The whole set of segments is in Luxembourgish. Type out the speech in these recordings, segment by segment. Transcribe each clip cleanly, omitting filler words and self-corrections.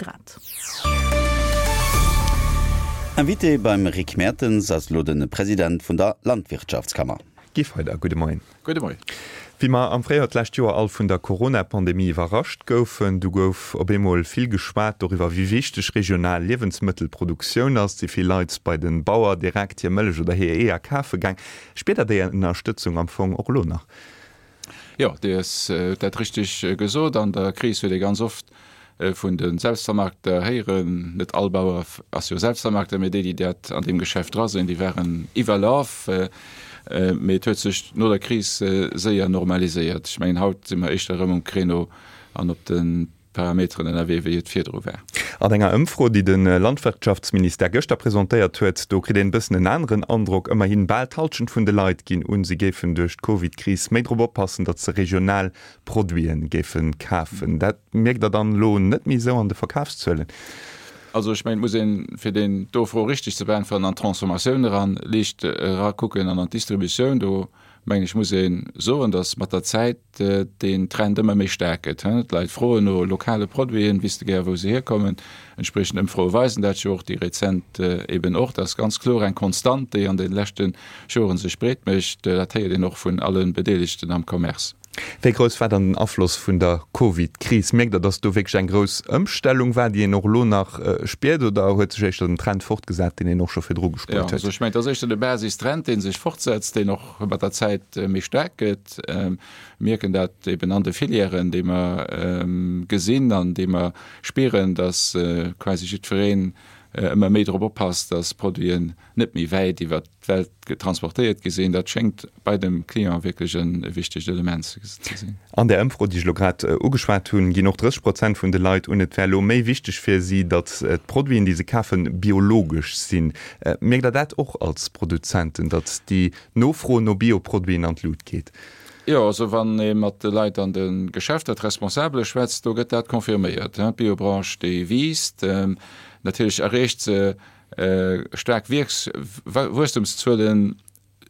Grad. Invité beim Rick Mertens ass elo de President vun der Landwirtschaftskammer. Guy Feyder, gudde Moien. Gudde Moien. Wéi mer am Fréijoer d'lescht Joer all vun der Corona-Pandemie iwwerrascht goufen, du gouf op eemol vill geschwat doriwwer, wéi wichteg regional Liewensmëttelproduktioun ass. Si vill Leit bei de Bauer direkt hir Mëllech oder hir Eeër kafe gaang. Spiert Der déi Ënnerstëtzung am Fong och elo nach? Jo, Dir hutt dat richteg gesot. An der Kris huet ee ganz oft vun de Selbstvermarkter héieren. Net all Bauer ass jo Selbstvermarkter, mee déi, déi dat an deem Geschäft dra sinn, déi waren iwwerlaf. Mee et huet sech no der Kris séier normaliséiert. Ech mengen, haut si mer éischter erëm um Créneau an op de Parameteren ënnerwee, wéi et virdru war. An enger Ëmfro, déi de Landwirtschaftsministère gëschter presentéiert huet, do kritt een e bëssen en aneren Androck. Ëmmerhin bal d'Hallschent vun de Leit ginn un, se géifen duerch d'Covid-Kris méi drop oppassen, datt se regional Produite géife kafen. Dat mierkt Der dann elo net méi esou an de Verkafszuelen? Also ech mengen, et muss een, fir deen do Fro richteg ze beäntweren, an d'Transformatioun eran liicht erakucken an an d'Distributioun. Do mengen ech muss ee soen, datt mat der Zäit deen Trend ëmmer méi staark gëtt. D'Leit froen no lokale Produiten, wiste gär wou se hierkommen. Entspriechend Ëmfroe weisen dat jo och, déi rezent eben och. Dat ass ganz kloer eng Konstant, déi an de leschte Joren sech breet mécht. Dat héiert een och vun alle Bedeelegten am Commerce. Wéi grouss war dann den Afloss vun der Covid-Kris? Mierkt Der, datt do wierklech eng grouss Ëmstellung war, déi een och elo nach spiert, oder huet sech éischter den Trend fortgesat, deen een och scho virdru gespuert huet? Jo, also ech mengen, et ass éischter de Basistrend, dee sech fortsetzt, deen och mat der Zäit méi staark gëtt. Mir mierken dat eben an de Filièren, déi mer gesinn an déi mer spieren, datt quasi jiddwereen ëmmer méi drop oppasst, datt Produiten net méi wäit iwwert d'Welt transportéiert gi sinn, dat schéngt bei dem Client wierklech e wichtegt Element ze sinn. An där Ëmfro, déi ech elo grad ugeschwat hunn, ginn och 30 Prozent vun de Leit un, et wär elo méi wichteg fir si, datt d'Produiten, déi se kafen, biologesch sinn. Mierkt Der dat och als Produzenten, datt déi Nofro no Bioproduiten an d'Lut geet? Jo, also wann ee mat de Leit an de Geschäfter, d'Responsabele schwätzt, do gëtt dat confirméiert. D'Biobranche, déi wiisst. Natierlech erreecht se Staark Wuesstumszuelen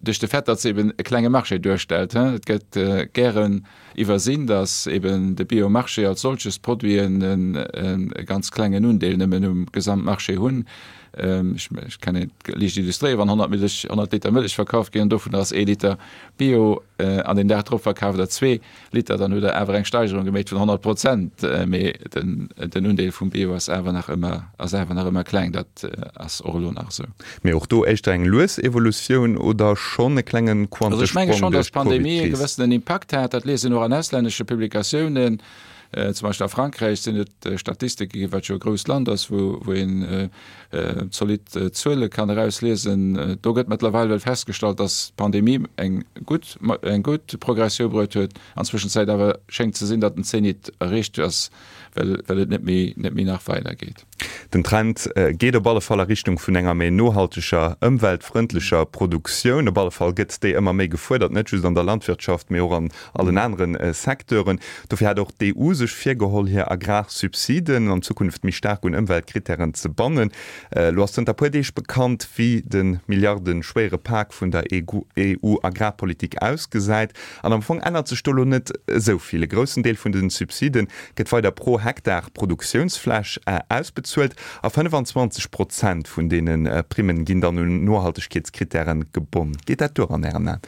duerch de Fait, datt se eben e klenge Marché duerstellt. Et gëtt gären iwwersinn, datt eben de Biomarché als solches d'Produiten e ganz klengen Undeel nëmmen um Gesamtmarché hunn. Ech kann et liicht illustréieren, Wann 100 Mëllech, 100 Liter Mëllech verkaaft ginn an dovun ass ee Liter Bio an deen Dag drop verkaaft der zwee, Liter, dann hutt Der awer eng Steigerung geméit vun 100 Prozent, mee den Undeel vum Bio ass awer nach ëmmer, ass awer nach ëmmer kleng. Dat ass och elo nach esou. Mee och do éischter eng lues Evolutioun oder schonn e klengen Quantesprong duerch d'Covid-Kris? Also ech menge schonn, datt d'Pandemie e Covid-Kris? gewëssenen Impakt hat. Dat liest een och an auslännesche Publikatiounen. Zum Beispill a Frankräich sinn et Statistike ginn, wat jo e grousst Land ass, wou een zolidd Zuele kann erausliesen. Do gëtt mëttlerweil well festgestallt, datt d'Pandemie eng gutt eng gutt Progressioun bruet huet. An Zwëschenzäit awer schéngt ze sinn, datt den Zenit erreecht ass, well well et net méi net méi nach weider geet. Den Trend geet op alle Fall a Richtung vun enger méi nohalteger, ëmweltfrëndlecher Produktioun. Op alle Fall gëtt déi ëmmer méi gefuerdert, net just an der Landwirtschaft, mee och an allen anere Secteuren. Dofir hat och d'EU sech virgeholl, hir Agrarsubsiden an Zukunft méi staark un Ëmweltkrittären ze bannen. Elo ass zënter puer Deeg bekannt, wéi de milliardeschwéiere Pak vun der EU-Agrarpolitik ausgesäit. An am Fong ännert sech do elo net esou vill. E groussen Deel vun de Subside gëtt weider pro Hektar Produktiounsfläch ausbezuelt a 25 Prozent vun deene Primmen ginn dann un Nohaltegkeetskrittäre gebonn. Geet dat duer an Ären Aen?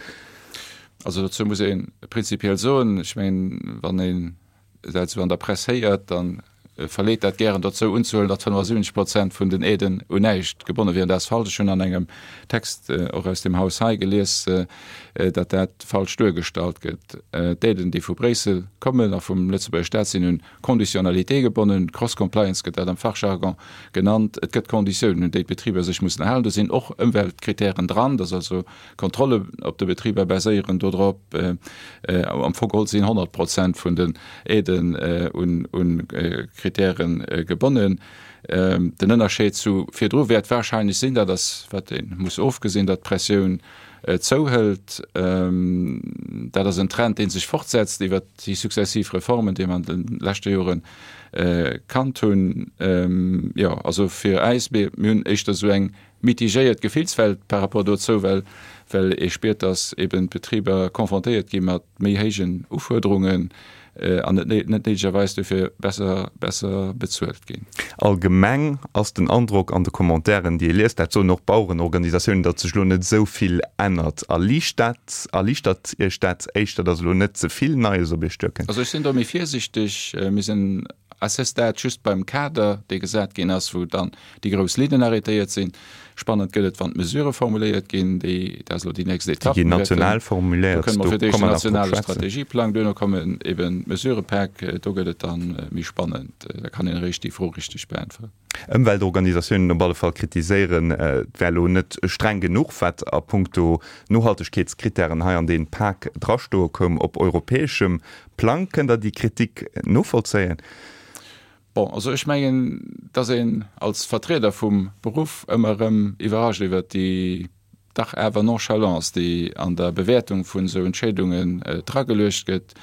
Also dozou muss ee prinzipiell soen, ech mengen, wann een dat esou an der Press héiert, da verleet dat gären dozou unzehuelen, datt 75 Prozent vun den Aiden un näischt gebonne wieren. Dat ass falsch. Ech hunn an engem Text och aus deem Haus hei gelies, datt dat falsch duergestallt gëtt. D'Aiden, déi vu Bréissel kommen a vum Lëtzebuerger Staat, sinn un Conditionnalité gebonnen. Cross-compliance gëtt dat am Fachjargon genannt. Et gëtt Konditiounen, un déi d'Betriber sech mussen halen. Do sinn och Ëmweltkritären dran. Dat ass also Kontrolle op de Betriber baséieren dodrop. Am Fong geholl sinn 100 Prozent vun den Aiden un Kritäre gebonnen. Den Ënnerscheed zu virdru wäert warscheinlech sinn, dat ass wat ee muss ofgesinn, datt d'Pressioun zouhëlt. Dat ass en Trend, dee sech fortsetzt iwwert déi successiv Reformen, déi mer an de leschte Jore kannt hunn. Jo, also fir äis, mir hunn éischter esou eng mitigéiert Gefillswelt par rapport dozou, well well ee spiert, dass eben d'Betriber confrontéiert gi mat méi héijen Ufuerderungen. An net néidegerweis dofir besser besser bezuelt ginn. Allgemeng ass den Androck an de Commentairen, déi ee liest, dat soen och d'Bauerenorganisatiounen, datt sech elo net esou vill ännert. Erliicht dat, erliichtert Iech dat éischter, datt elo net ze vill Neies op Iech duerkënnt? Also ech sinn do méi virsichteg. Mir sinn à ce stade just beim Kader, dee gesat ginn ass, wou dann déi grouss Linnen arrêtéiert sinn. Spannend gëtt et, wann d'Mesurë formuléiert ginn, déi, dat ass elo déi nächst Etapp. Déi ginn national formuléiert, do komme mer fir d'éischt den nationale Strategieplang, duerno kommen eben d'Mesurepäck, do gëtt et da méi spannend, da kann een eréischt déi Fro richteg beäntweren. Ëmweltorganisatiounen op alle Fall kritiséieren, et wär elo net streng genuch, wat a puncto Nohaltegkeetskrittären hei an dee Pak drastoe koum op europäeschem Plang. Kënnt Der déi Kritik novollzéien? Bon, also ech mengen, dass een als Vertrieder vum Beruff ëmmer erëm iwwerrascht iwwert déi dach awer Nonchalance, déi an der Bewäertung vun esou Entscheedungen drageluecht gëtt.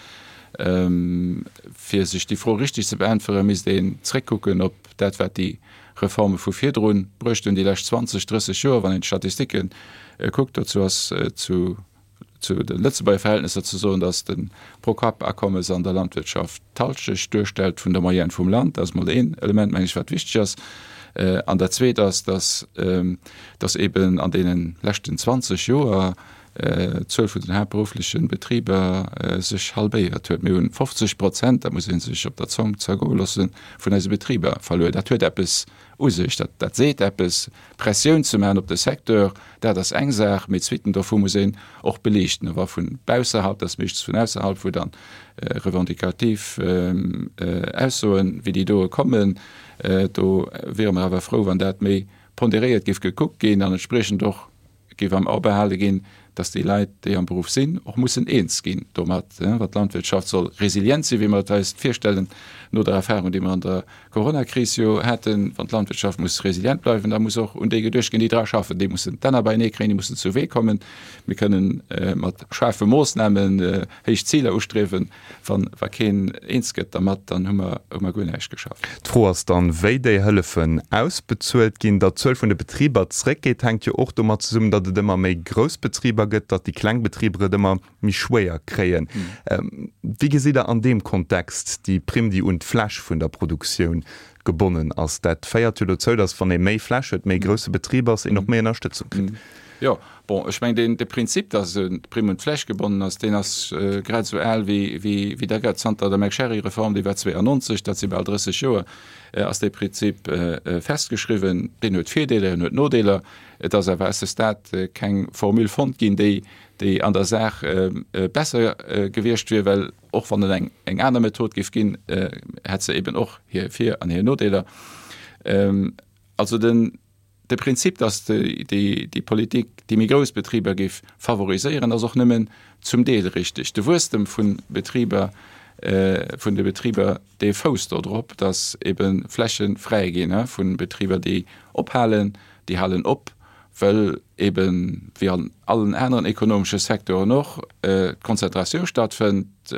Fir sech déi Fro richtig ze beäntweren, misst een zréckkucken op dat, wat déi Reforme vu virdru bruecht hunn, déi lescht 20, 30 Joer, wann een d'Statistike kuckt. Dozou ass zu zu de Lëtzebuerger Verhältnesser ze soen, datt de Pro-Kapp-Akommes an der Landwirtschaft d'Halschecht duerstellt vun der Moyenne vum Land. Dat ass mol een Element, meng ech, wat wichteg ass. An dat Zweet ass, datt datt eeben an deene leschten 20 Joer d'Zuel vun den haaptberuffleche Betriber sech halbéiert huet. Mir hunn 50 Prozent, dat muss ee sech op der Zong zergoe loossen, vun eise Betriber verluer. Dat huet eppes u sech, dat dat seet eppes. Pressioun ze maachen op de Secteur, dat ass eng Saach, mee d'Suiten dovu muss een och beliichten. A wa vun bausserhalb, dat ass meeschtens vun ausserhalb, wou dann revendicativ Aussoen wéi déi doe kommen, do wiere mer awer frou, wann dat méi ponderéiert géif gekuckt ginn an entspriechend och géif am A behale ginn, dass déi Leit, déi am Beruff sinn, och mussen eens ginn domat, wa d'Landwirtschaft soll resilient sinn, wéi mer et eis virstellen, no der Erfahrung, déi mer an der Coronakris jo haten. Wann d'Landwirtschaft muss resilient bleiwen, da muss och un déi geduecht ginn, déi dra schaffen. Déi mussen d'Enner beienee kréien, déi mussen zu Wee kommen. Mir kënnen mat schaarfe Moossnamen héich Ziler ustriewen, Wann wa keen eens gëtt dermat, dann hu mer hu mer guer näischt geschafft. D'Fro ass dann, wéi déi Hëllefen ausbezuelt ginn. Datt d'Zuel vun de Betriber zréckgeet, hänkt jo och domat zesummen, datt et ëmmer méi grouss Betriber gëtt, datt déi kleng Betriber et ëmmer méi schwéier kréien. Wéi gesitt Der an deem Kontext déi Primm, déi un d'Fläch vun der Produktioun gebonnen ass? Dat féiert jo dozou, datt wann ee méi Fläch huet, méi grousse Betrib ass, een och méi Ënnerstëtzung kritt. Jo, bon, ech mengen, deen, de Prinzip, dass d'Primm un d'Fläch gebonnen ass, deen ass grad esou al wéi, wéi, wéi der gëtt. Zanter der McSherry-Reform, déi war 92, dat si bal 30 Joer, ass dee Prinzip festgeschriwwen. Deen huet Virdeeler, en huet Nodeeler. Et ass awer à ce stade keng Formule fonnt ginn, déi, déi an der Saach besser gewiescht wier, well och wann et eng, eng aner Method géif ginn, hätt se eben och hir Vir an hir Nodeeler. Also den. De Prinzip, datt déi Politik déi méi grouss Betriber géif favoriséieren, ass och nëmmen zum Deel richteg. De Wuesstem vu Betriber, vun de Betriber, dee fousst do drop, datt ebe Fläche fräi ginn vu Betriber, déi ophalen. Déi halen op, well eben, wéi an allen aneren ekonomesche Secteuren och, d'Konzentratioun stattfënnt,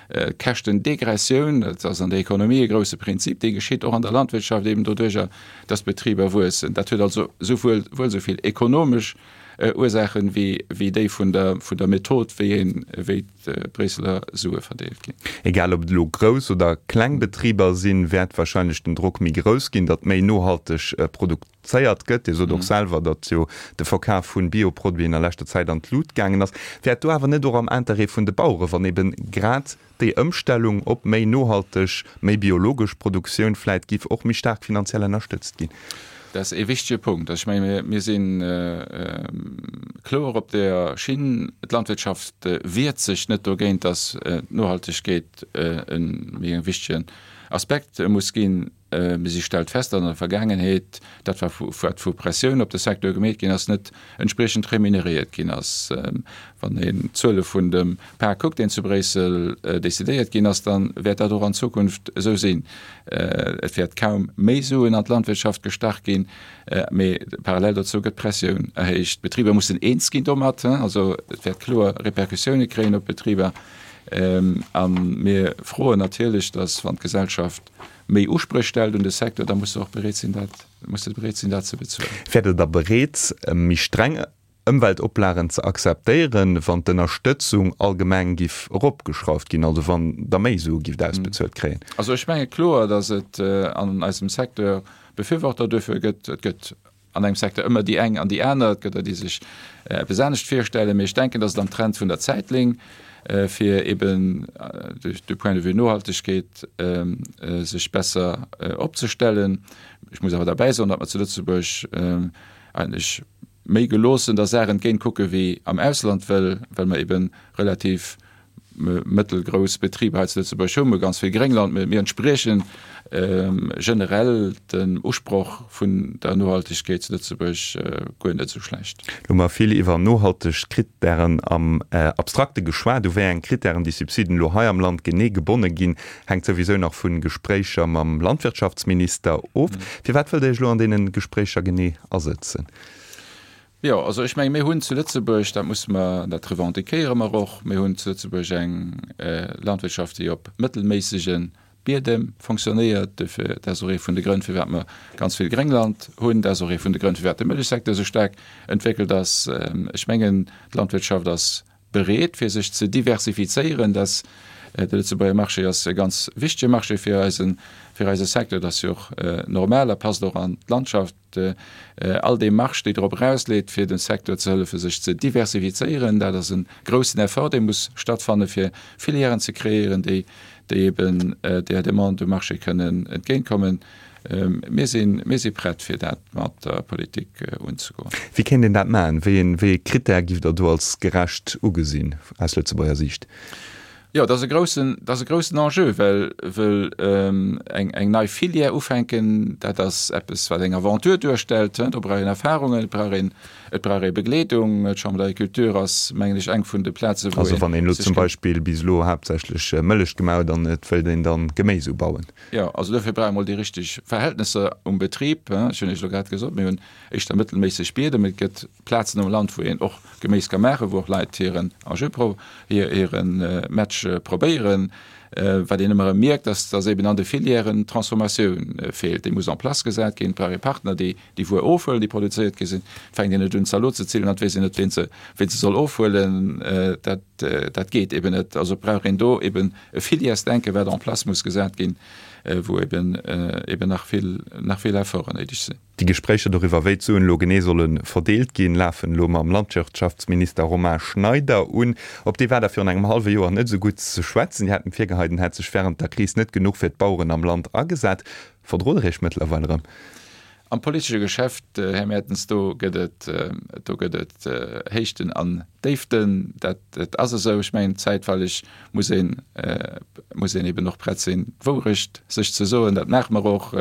d'Käschtendegressioun, dat ass an der Ekonomie e grousse Prinzip, dee geschitt och an der Landwirtschaft eben doduerjer, dass d'Betriber wuessen. Dat huet also souwuel wuel esou vill ekonomesch Ursaachen wéi wéi déi vun der vun der Method, wéi een wéi d'Bréisseler Sue verdeelt ginn. Egal ob et elo grouss oder kleng Betriber sinn, wäert wahrscheinlech den Drock méi grouss ginn, datt méi nohalteg produzéiert gëtt. Dir sot och selwer, datt jo de Verkaf vu Bioproduiten a leschter Zäit an d'Lut gaangen ass. Wär et do awer net och am Interêt vun de Bauere wann eben grad Déi Ëmstellung op méi nohalteg, méi biologesch Produktioun vläit giff och méi staark finanziell ënnerstëtzt ginn. Dat ass ee wichtege Punkt. Also ech menge mir si kloer op där Schinn. D'Landwirtschaft wiert sech net dogéint, datt d'Nohaltegkeet e méi e wichtegen Aspekt muss ginn. Mee si stellt fest, datt an der Vergaangenheet dat, wat vu Pressioun op de Secteur gemeet ginn ass, net entspriechend remuneréiert ginn ass. Wann een d'Zuele vun dem Pak kuckt, deen zu Bréissel decidéiert ginn ass, da wäert dat och an Zukunft esou sinn. Et wäert kaum méi Suen an d'Landwirtschaft gestach ginn, mee parallel dozou gëtt d'Pressioun erhéicht. D'Betriber mussen eens ginn domat, also et wäert kloer Repercussioune kréien op d'Betriber. A mir froen natierlech, datt wann d'Gesellschaft méi Uspréch stellt un de Secteur, da muss se och bereet sinn, dat, muss se bereet sinn, dat ze bezuelen. Wäert Der da bereet, méi streng. Ëmweltoplagen ze akzeptéieren, wann d'Ënnerstëtzung allgemeng giff eropgeschrauft ginn, also wann Der méi Sue gifft ausbezuelt kréien? Also ech menge kloer, datt et an eisem Secteur Befürworter duerfir gëtt. Et gëtt an engem Secteur ëmmer déi eng an déi aner, et gëtt der, déi sech eppes anescht virstellen. Mee ech denken, datt et am Trend vun der Zäit léing, fir eben du point de vue Nohaltegkeet sech besser opzestellen. Ech muss awer derbäi soen, datt mer zu Lëtzebuerg eigentlech méi geloossen der Saach entgéint kucke wéi am Ausland, well well mer ebe relativ mëttelgrouss Betriber hei zu Lëtzebuerg hunn. Mir hu ganz vill Gréngland. Mir mir entspriechen generell dem Usproch vun der Nohaltegkeet zu Lëtzebuerg guer net esou schlecht. Elo hu mer vill iwwer nohalteg Krittären am Abstrakte geschwat. U wéi eng Krittären déi Subsiden elo hei am Land genee gebonne ginn, hänkt souwisou nach vu Gespréicher mam Landwirtschaftsminister of. Firwat wëllt Der Iech elo an deene Gespréicher genee asëtzen? Jo, also ech menge mir hunn zu Lëtzebuerg, dat musse mer, dat revendiquéiere mer och, mir hunn zu Lëtzebuerg eng Landwirtschaft, déi op mëttelméissege Biedem fonctionnéiert. Dofir, dat ass och ee vun de Grënn, firwat mer ganz vill Gréngland hunn. Dat ass och ee vun de Grënn, firwat de Mëllechsecteur esou staark entwéckelt ass. Ech mengen, d'Landwirtschaft ass bereet, fir sech ze diversifizéieren. Dat, de Lëtzebuerger Marché ass e ganz wichtege Marché fir eisen, fir eise Secteur. Dat ass jo och normal a passt och an d'Landschaft. All Démarche, déi drop erausleet, fir dem Secteur ze hëllefen, sech ze diversifizéieren, dat ass e groussen Effort, dee muss stattfannen, fir Filièren ze kreéieren, déi, déi eben där Demande um Marché kënnen entgéintkommen. Mir sinn, mir si prett, fir dat mat der Politik unzegoen. Wéi kéint een dat maachen? Wéi een, wéi ee Critère giff Der do als gerecht ugesinn aus Lëtzebuerger Siicht? Jo, dat ass e groussen, dat ass e groussen Enjeu, well, well eng, eng nei Filière ufänken, dat ass eppes, wat eng Aventure duerstellt. Do brauch een Erfahrungen, et brauch een, et brauch ee Begleedung. D'Chambre d'Agriculture ass, mengen ech, eng vun de Plazen, wou een. Also wann een elo zum Beispill bis elo haaptsächlech Mëllech gemaach huet an et wëllt een dann Geméis ubauen. Jo, also dofir brauch ee mol déi richteg Verhältnesser um Betrib. Ech hunn Iech elo grad gesot, mir hunn éischter mëttelméisseg Biedem. Et gëtt Plazen am Land, wou een och Geméis ka maachen, wou och Leit hiren Enjeu, hire Match probéieren. Wat een ëmmer erëm mierkt, ass, dass eben an de Filièren d'Transformatioun feelt. Déi muss en place gesat ginn. Et brauch ee Partner, déi déi Wuer ofhuelen, déi produzéiert gi sinn. Et fänkt een net un, Zalot ze zillen an et weess een net, ween se, ween se soll ofhuelen. Dat, dat geet eben net. Also brauch een do eben e Filièresdenken, wat en place muss gesat ginn, wou eben, eben nach vill, nach vill Efforten néideg sinn. Déi Gespréicher doriwwer, wéi d'Suen elo genee solle verdeelt ginn, lafen elo mam Landwirtschaftsminister Romain Schneider un. Op dee war der virun engem hallwe Joer net esou gutt ze schwätzen. Dir hat em virgeheit, en hätt sech wärend der Kris net genuch fir d'Baueren am Land agesat. Verdrot der Iech mëttlerweil erëm? Am politesche Geschäft, Här Mertens, do gëtt et, do gëtt et Héichten an Déiften. Dat ass esou. Ech mengen, zäitweileg muss een, muss een eben och prett sinn, d'Wourecht sech ze soen. Dat maache mer och.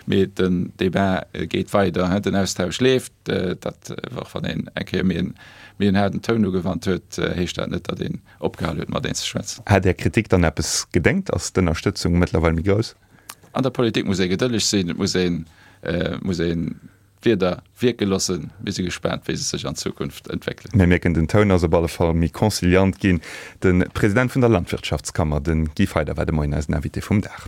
Mee den Débat geet weider, den Austausch leeft. Dat, och wann een eng Kéier méi en, méi en haarden Toun ugewannt huet, heescht dat net, datt een opgehal huet, mat een ze schwätzen. Hätt Är Kritik dann eppes gedéngt? Ass d'Ënnerstëtzung mëttlerweil méi grouss? An der Politik muss ee gedëlleg sinn. Et muss een, muss een D'Wieder wierke loossen. Mir si gespaant, wéi se sech an Zukunft entwéckelen. Mir mierken, den Toun ass op alle Fall méi conciliant ginn. De President vun der Landwirtschaftskammer, de Guy Feyder, war de Moien eisen Invité vum Dag.